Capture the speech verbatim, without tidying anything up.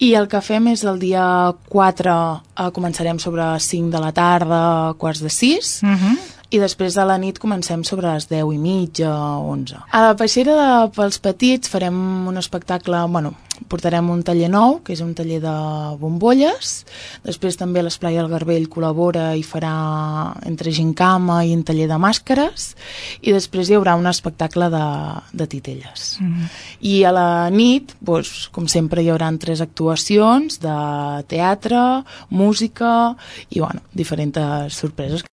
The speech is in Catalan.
I el que fem és el dia quatre, eh, començarem sobre cinc de la tarda, quarts de sis, Uh-huh. i després de la nit comencem sobre les deu i mitja, onze. A la peixera de, pels petits farem un espectacle, bueno, portarem un taller nou, que és un taller de bombolles, després també l'Esplai del Garbell col·labora i farà entre gincama i un taller de màscares, i després hi haurà un espectacle de, de titelles. Uh-huh. I a la nit, doncs, com sempre, hi haurà tres actuacions de teatre, música i, bueno, diferents sorpreses.